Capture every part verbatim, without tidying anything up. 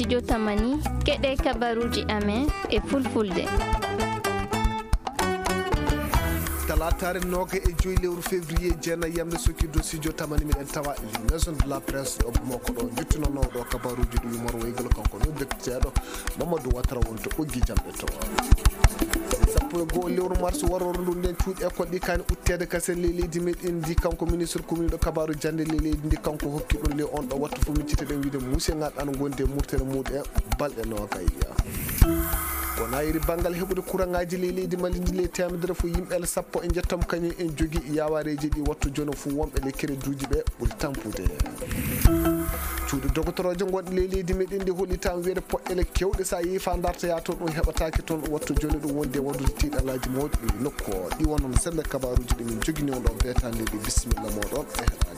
Jotamani, keɗe kabaruuji amen e fulfulde. Talaataare nooga e joyi lewru février, jeenayi yamde sokki dossier Jotamani, miɗen tawa e maison de la presse ɗo Bamako ɗo, njottinonoo ɗo kabaruuji ɗi yumor waygal kanko ɗo depiteeɗo Mamadou Ouattara wonto ɓoggi jamɗe to. Sappo e goo lewru mars warooru ndu, nden cuuɗi école ɗi kaani utteede kasen ley leydi meɗen ndi, kanko ministre communiɗo kabaaru jannde ley leydi ndi, kanko hokki ɗum ley on ɗo wattu fof. Micciteɗen wiide muuse ngaɓe ana ngondi e murtere muɗum e balɗe noogay. Ko nayiri banngal heɓude kuraŋaaji ley leydi Mali ndi, ley teemedere fof yimɓe sappo e njettam kañum en jogi yaawareeji ɗi wattu jono fof wonɓe ley kereduuji ɓe ɓuri tampude. Cuuɗi dogotoroojo gonɗi ley leydi meɗen ndi hollitaa wiyde poɗɗele kewɗe, so a yehi faa ndartoyaa toon, ɗum heɓataake toon, wattu jooni ɗum wondi e waɗude tiiɗalaaji mawɗi e nokku o. Ɗi wonno sembe kabaaruuji ɗi min njogini on ɗo beetaande ɗi. Bisimilla mooɗon e heɗaade.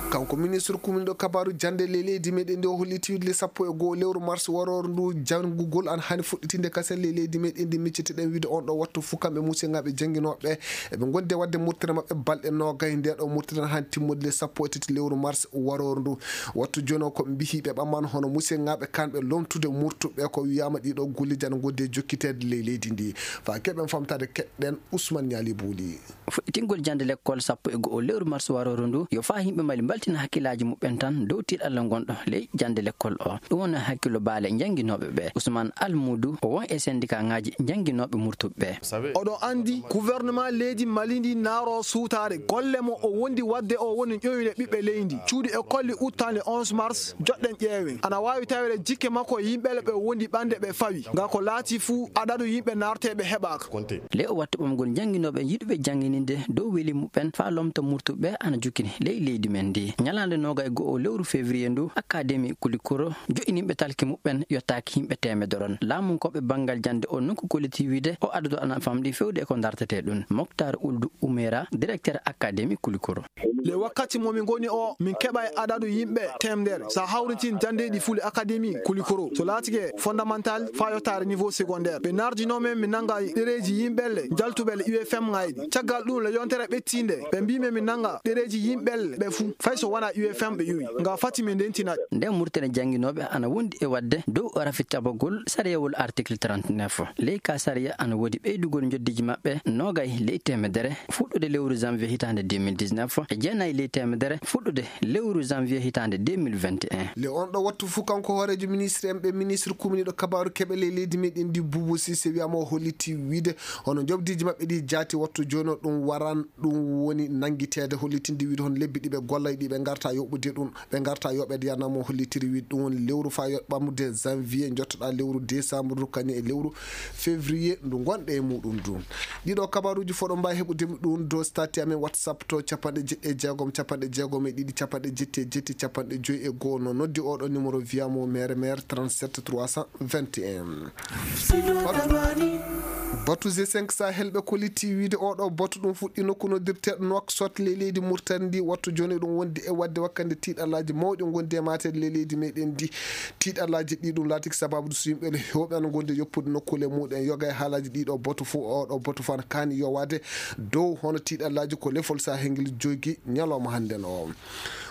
Kanko ministre kuminɗo kabaaru jannde ley leydi meɗen ndi, o holliti wiyde le sappo e goo lewru mars warooru ndu, janngugol ana hani fuɗɗitinde kasen ley leydi meɗen ndi. Micciteɗen wiyde on ɗo wattu fuu kamɓe muuse ngaɓe jannginooɓe eɓe ngondi e waɗde murtere maɓɓe balɗe noogay. Nde ɗo murtere han timmude le sappo e tati lewru mars warooru ndu. Wattu jooni o ko mbihi ɓe ɓamman hono muuse ngaɓe kanɓe lomtude murtuɓe ko wiyaama ɗiɗo golleeji ana ngondi e jokkiteede ley leydi ndi. Faa keɓen famtaade keɗɗen Ousmane Niali Bouli. Fuɗɗitingol jannde lekkol sappo e go'o lewru mars warooru ndu, yo faa yimɓe Mali mbaltina hakkillaaji muɓɓen tan dow tiiɗalla ngonɗo ley jannde lekkol o. Ɗum woni hakkillo baale njannginooɓe ɓe. Ousmane Almuudu, o won e sendikaaŋaaji njannginooɓe murtuɓe ɓe. Oɗon anndi, gouvernement leydi Mali ndi naaro suutaare. Golle mo o wondi waɗde o woni ƴoyne ɓiɓɓe leydi. Cuuɗi e kolli uttaande onze mars, joɗɗen ƴeewen. Ana waawi taweede jikke makko e yimɓe ɓe o wondi ɓande ɓe fawi. Nga ko laati fuu, adadu yimɓe naarteeɓe heɓaaka. Ley o wattu ɓamgol njannginooɓe yiɗuɓe janngininde dow weli muɓɓen faa lomta murtuɓe ɓe ana jukkini ley leydi men ndi. Ñalaande noogay e go'o lewru février ndu, Académie Koulikoro joƴƴininɓe talki muɓɓen yottaaki yimɓe teemedere on. Laamunkooɓe banngal jannde o nokku kolliti wiide o adadu ana famɗi feewde e ko dartetee ɗum. Moctar Ould Ouméra, directeur Académie Koulikoro. Le wakkati mo min ngoni o, min keɓa e adadu yimɓe teemedere. So a hawritin janndeeji fuu le Académie Koulikoro, so laatike fondamental faa yottaade niveau secondaire. Ɓe nardinoo men, min nannga ɗereeji yimɓe le njaltuɓe le U F M ŋaaji. Caggal ɗum, le yontere ɓettiinde, ɓe mbii men min nannga ɗereeji yimɓe le ɓe fuu, fay so wonaa U F M ɓe ƴowi. Nga fati min ndentina ɓe. Nden murtere jannginooɓe ana wondi e waɗde dow rafitabagol sariyawol article trente-neuf. Ley ka sariya ana woodi ɓeydugol njoddiiji maɓɓe noogay ley teemedere fuɗɗude lewru janvier hitaande deux mille dix-neuf, e jeenayi ley teemedere fuɗɗude lewru janvier hitaande deux mille vingt et un. Le on ɗo wattu fuu, kanko hooreejo ministre en ɓe, ministre kuminiiɗo kabaaru keɓe ley leydi meɗen ndi, Boubou Cissé, wiyaama o holliti wiide hono njoɓdiiji maɓɓe ɗi jaati wattu jooni o ɗum waran ɗum woni nanngiteede, hollitinde wiide hono lebbi ɗi ɓe gollay ɗi ɓe ngarta yoɓude ɗum, ɓe ngarta yoɓeede. Yanama o hollitiri wiide ɗum woni lewru faa yoɓ ɓamde janvier, njottoɗaa lewru décembre, kañum e lewru février ndu ngonɗe e muɗum ndu. Ɗiɗo kabaruuji fof ɗo mbaawi heɓude ɗum dow statut amen WhatsApp to capanɗe jeɗɗi e jeegom, capanɗe jeegom e ɗiɗi, capanɗe jetti e jetti, capanɗe joyi e goo. No noddi oɗo numéro, wiyaama o mere mere, trente-sept trois cent vingt et un. Batu G cinq Sahel ɓe kolliti wiide oɗo batu ɗum fuɗɗi nokku noddirteeɗo Nouakchott ley leydi Mauritanie ndi. Wattu jooni ɗum wondi e waɗde wakkande tiiɗalaaji mawɗi ngondi e maateede ley leydi meɗen ndi. Tiiɗalaaji ɗi ɗum laatiki sababu so yimɓe heewɓe ana ngondi e yoppude nokkuule muɗum. Yoga e haalaaji ɗiɗo batu fof, oɗo batu fof ana kaani yowaade dow hono tiiɗalaaji ko lefol Sahel ngel jogi ñalawma hannden o.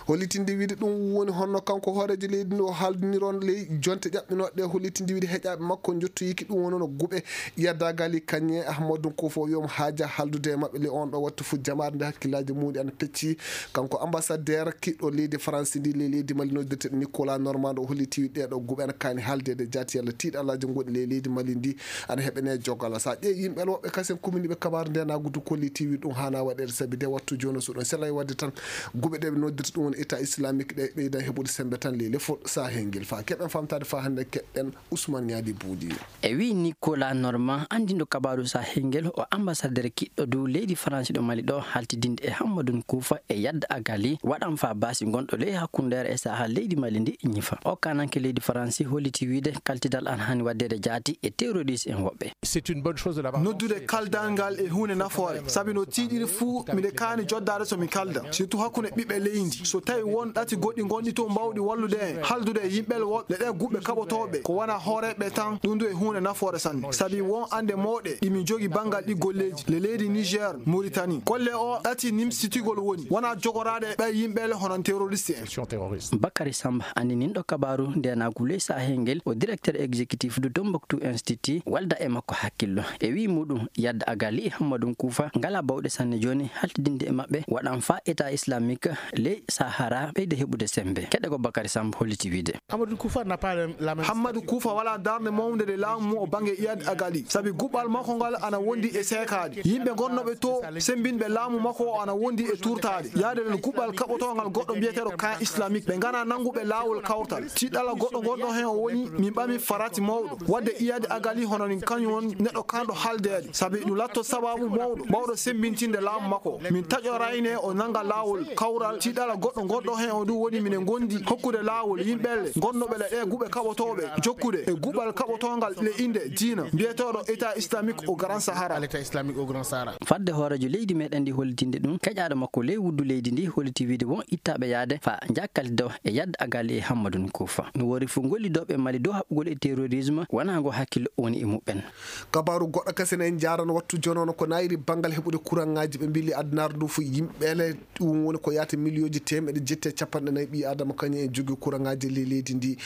Hollitinde wiide ɗum woni honno kanko hooreejo leydi ndi o haaldiniron ley jonte ƴaɓɓinooɗe ɗe, hollitinde wiide heƴaaɓe makko njottoyiki ɗum woni no guɓe Iyad Dagali Kanye Ahmadou Koufo, wi'omo haaja haaldude e maɓɓe ley on ɗo wattu fof. Jamaare nde hakkillaaji muɗi ana pecci, kanko ambassadeur kiɗɗo leydi France ndi ley leydi Mali noddirteeɗo Nicolas Normand o holliti wiide ɗee ɗo guɓe ana kaani haaldeede jaati yalla tiiɗalaaji gonɗi ley leydi Mali ndi ana heɓene jogala. So a ƴeewi yimɓe woɓɓe kasen kumini ɓe kabaaru nde naagudu kolliti wiide ɗum haana waɗeede sabi nde wattu jooni o so ɗum selay waɗde tan guɓe ɗe ɓe noddirta ɗum woni État islamique ɗe ɓeydan heɓude semmbe tan ley lefol Sahel ngel. Faa keɓen famtaade faa hannde keɗɗen Ousmane Niadi Bouli. E wii Nicolas Normand, anndinɗo kabaaru Sahel ngel, o ambassadeur kiɗɗo dow leydi France ɗo Mali ɗo, haltidinde e Hammadou Koufa e Yadda Agali, waɗan faa baasi gonɗo ley hakkundeere e sahaa leydi Mali ndi ñifa. O kaananke leydi France holliti wiide kaltidal ana haani waɗdeede jaati e terroriste en woɓɓe. C'est une bonne chose de l'avoir lancé. Noddude kaldal ngal e huunde nafoore, sabi no tiiɗiri fuu, miɗe kaani joddaade so mi kalda, surtout hakkunde ɓiɓɓe leydi. So Tawi won ɗati goɗɗi ngonɗi toon mbaawɗi wallude en, haldude e yimɓe woɗɓe, le ɗee guɓɓe kaɓotooɓe, ko wona hooreeɓe tan, ɗum du e huunde nafoore sanne. Sabi won annde mawɗe ɗi min njogi banngal ɗi golleeji, le leydi Niger, Mauritanie. Golle o ɗati nimsitigol woni, wona jogoraade e ɓee yimɓe le hono terroriste en. Bakary Samba, annininɗo kabaaru ndeenaagu ley Sahel ngel, o directeur exécutif du Tombouctou Institute, walda e makko hakkillo. E wii muɗum, Yad Agali e Hammadou Koufa ngala bawɗe sanne jooni haltidinde e maɓɓe, waɗan faa État Islamique ley Sahara ɓeyda heɓude semmbe. Keɗe ko Bakary Samba holliti wiide. Hammadou Koufa n'a pas le, la même Hammadou Koufa wala darnde mawnde nde laamu mum o bannge Iyad Agali, sabi guɓɓal makko ngal ana wondi e seekaade. Yimɓe gonnooɓe to semmbinɓe laamu makko o ana wondi e tuurtaade. Yaade nden guɓɓal kaɓotoongal goɗɗo mbiyeteeɗo camp islamique. Ɓe ngana nannguɓe laawol kawtal. Tiiɗalla goɗɗo gonɗo heen o woni, min ɓami farati mawɗo. Wadde Iyad Agali hono nin kañum won neɗɗo kanɗo haldeede. Sabi ɗum latto sababu mawɗo, mawɗo semmbintinde laamu makko. Min taƴorayne o nannga laawol kawral. Tiiɗalla goɗɗo gonɗo heen o du woni minen ngondi hokkude laawol yimɓe le gonnooɓe le ɗee guɓɓe kaɓotooɓe, jokkude e guɓɓal kaɓotoongal le innde diina, mbiyeteeɗo État Islamique au Grand Sahara. À l'État islamique au Grand Sahara. Fadde hooreejo leydi meɗen ndi hollitinde ɗum, keƴaaɗo makko ley wuddu leydi ndi holliti wiide won ittaaɓe yaade faa njaakali dow e Yad Agali e Hammadou Koufa. No woori fof gollidooɓe Mali dow haɓugol e terrorisme wonaa ngo hakkillo woni e muɓɓen. Kabaaru goɗɗo kasen en njaarano wattu jonono ko nayri banngal heɓude kuraŋŋaaji ɓe mbili addunaare ndu fof yimɓe le ɗum woni ko yaata miliyooji teemeɗe jetti e capanɗe nayi ɓii Aadama kañum en jogii kuraŋŋaaji ley leydi ndi.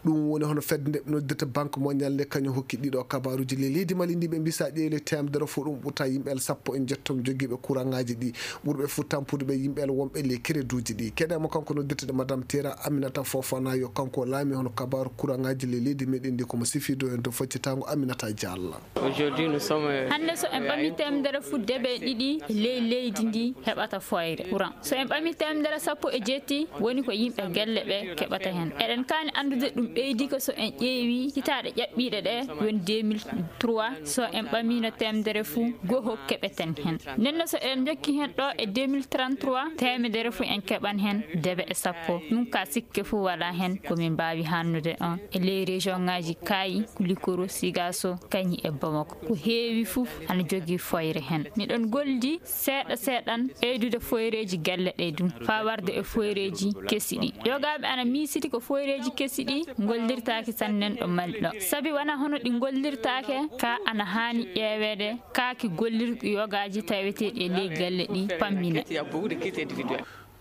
Ɗum woni hono fedde nde ɓe noddirta Banque Mondiale nde kañum hokki ɗiɗo kabaaruuji ley leydi Mali ndi ɓe mbisa ƴeewle teemedere fof ɗum ɓurta yimɓe el sappo e njettom jogiiɓe kuraŋŋaaji ɗi ɓurɓe fof tampude ɓe yimɓe el wonɓe ley kereduuji ɗi. Keɗe mo kanko noddirteɗo Madame Tera Aminata Fofana yo kanko laami hono kabaaru kuraŋŋaaji ley leydi meɗen ndi ko mo sifiido en to foccitaango Aminata Diallo. Aujourd'hui, nous sommes, euh, Hannde so en ɓami teemedere fof debe ɗiɗi ley leydi ndi heɓata foyre courant. So en ɓami teemedere sappo e jeetti woni ko yimɓe gelle ɓe keɓata heen. Eɗen kaani anndude ɗum ɓeydi ko so en ƴeewi hitaaɗe ƴaɓɓiiɗe ɗe woni deux mille trois, so en ɓamiino teemedere fof goho keɓeten heen. Nden no so eɗen njokki heen ɗo e deux mille trente-trois, teemedere fof en keɓan heen debe e sappo. Ɗum ka sikke fof wala heen ko min mbaawi hannude on. E ley région ŋaaji Kaayi, Likoro, Sigaso, Kañi e Bamako. Ko heewi fof ana jogii foyre heen. Miɗon goldi seeɗa seeɗan ɓeydude foyreeji gelle ɗe ɗum, faa warde e foyreeji kesi ɗi. Yogaaɓe ana miisiti ko foyreeji kesi ɗi ngollirtaake sanne ɗo Mali ɗo. Sabi wona hono ɗi ngollirtaake, ka ana haani ƴeeweede, kaaki gollirɗi yogaaji taweteeɗi e ley galle ɗi pammina.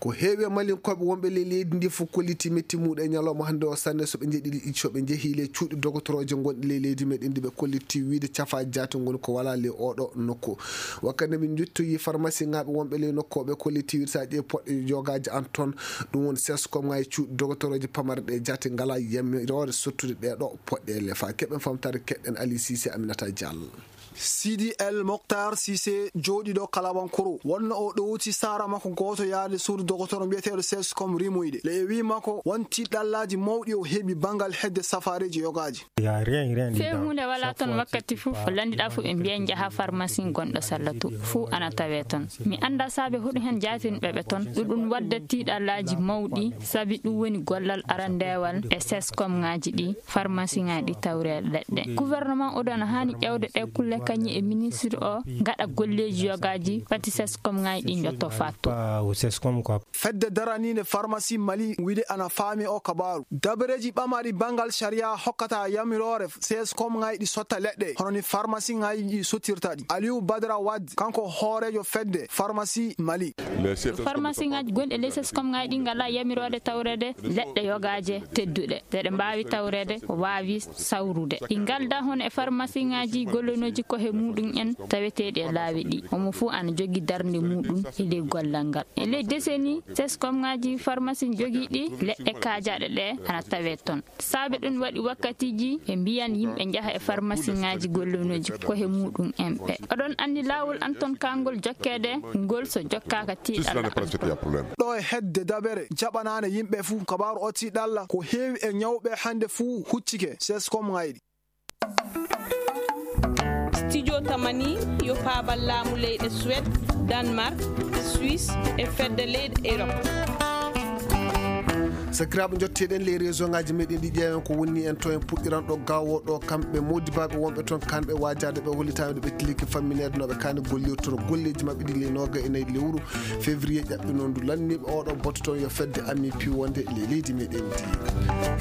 Ko heewi e Malinkooɓe wonɓe ley leydi ndi fof kolliti metti muɗum e ñalawma hannde o sanne so ɓe njeɗi, so ɓe njehii ley cuuɗi dogotorooje gonɗi ley leydi meɗen ndi ɓe kolliti wiide cafaaji jaati ngoni ko wala ley oɗo nokku. Wakkati nde min njottoyi farmasiŋaaɓe wonɓe ley nokku o ɓe kolliti wiide so a ƴeewi poɗɗe yogaaji an toon, ɗum woni seskomŋaaji cuuɗi dogotorooje pamare ɗe jaati ngala yamiroore sottude ɗee ɗo poɗɗe le. Faa keɓen famtaare keɗɗen Ali Sise Aminata Diallo. Sidi El Mokhtar Cissé, jooɗiiɗo Kalabankoro, wonno o ɗowti saara makko gooto yaade suudu dogotoro mbiyeteeɗo Sescom rimoyde. Le e wii makko, won tiiɗallaaji mawɗi o heɓi banngal hedde safaareeji yogaaji. Fee huunde walaa toon wakkati fof, ko lanndiɗaa fof ɓe mbiya njaha farmasi gonɗo Sallatu, fuu ana tawee toon. Mi anndaa saabe hoɗum heen jaatinɓe ɓe toon, ɗum ɗum wadda tiiɗallaaji mawɗi, sabi ɗum woni gollal arandeewal e Sescom ŋaaji ɗi. Farmasiŋaaji ɗi tawreeɗe leɗɗe. Gouvernement oɗo ana haani ƴeewde ɗee kulle kañum e ministre o, ngaɗa golleeji yogaaji, pati Sescom ŋaaji ɗi njotto fattu. Fedde daraniinde farmasi Mali wiide ana faami o kabaaru. Dabareeji ɓamaaɗi banngal sariya hokkata yamiroore Sescom ŋaaji ɗi sotta leɗɗe, hono ni farmasi ŋaaji ɗi sottirta ɗi. Aliou Badara Wade, kanko hooreejo fedde farmasi Mali. Farmasiŋaaji gonɗi e ley Sescom ŋaaji ɗi ngalaa yamiroore tawreede leɗɗe yogaaje tedduɗe, ɗe ɗe mbaawi tawreede, waawi sawrude. Ɗi ngaldaa hono e farmasiŋaaji gollonooji kohe muuɗum en taweteeɗi e laawi ɗi. Homo fuu ana jogii darnde muuɗum e ley gollal ngal. E ley deseni, Sescom ŋaaji farmasi jogiiɗi leɗɗe kaajaaɗe ɗe ana tawee toon. Saabe ɗum waɗi wakkatiiji ɓe mbiyan yimɓe njaha e farmasiŋaaji gollonooji kohe muuɗum en ɓe. Oɗon anndi laawol an toon kaangol jokkeede, ngol so jokkaaka tiiɗalla an toon. Ɗo e hedde dabere jaɓanaande yimɓe fuu kabaaru o tiiɗalla ko heewi e ñawɓe hannde fuu huccike Sescom ŋaaji ɗi. Studio Tamani yo paabal laamu leyɗe Suède, Danemark, Suisse e fedde leyɗe Europe. Sakiraaɓe, njotteɗen ley réseau ngaji meɗen ɗi, ƴeewen ko woni en to en puɗɗiran ɗo gawo ɗo. Kamɓe modibaaɓe wonɓe toon, kanɓe waajaade ɓe, hollitaama ɓe tilike fammineede no ɓe kaani gollirtoro golleeji maɓɓe ɗi ley nooga e nayi lewru février ƴaɓɓinondu lanniiɓe oɗo boto toon yo fedde ami piwonde ley leydi meɗen ndi.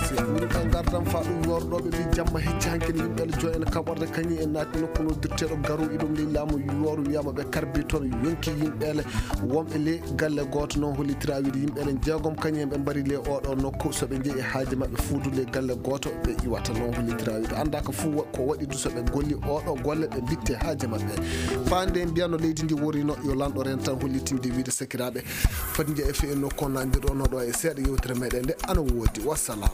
Si en ngardam faa ɗum yorɗo ɓe mbi jamma hecci hanke ne yimɓe ala joy en kaɓorde kañi en naati nokku noddirteeɗo garu iɗum ley laamu yooru wiyama ɓe karbi toon yonki yimɓe ele wonɓe ley galle gooto noon hollitira wiide yimɓe elen jeegom kañum en ɓe mbari ley oɗo nokku so ɓe njehi e haaji maɓɓe fuudu ley galle gooto ɓe iwata noon hollitira wiide annda ko fuu ko waɗi du so ɓe golli oɗo golle ɓe mbitte haaji maɓɓe faande mbiyano leydi ndi worino yo lanɗo ren tan hollitinde wiide sakiraaɓe foti njeya e fee nokku on nandirɗo no ɗo e seeɗa yewtere meɗen nde ana woodi wassalam.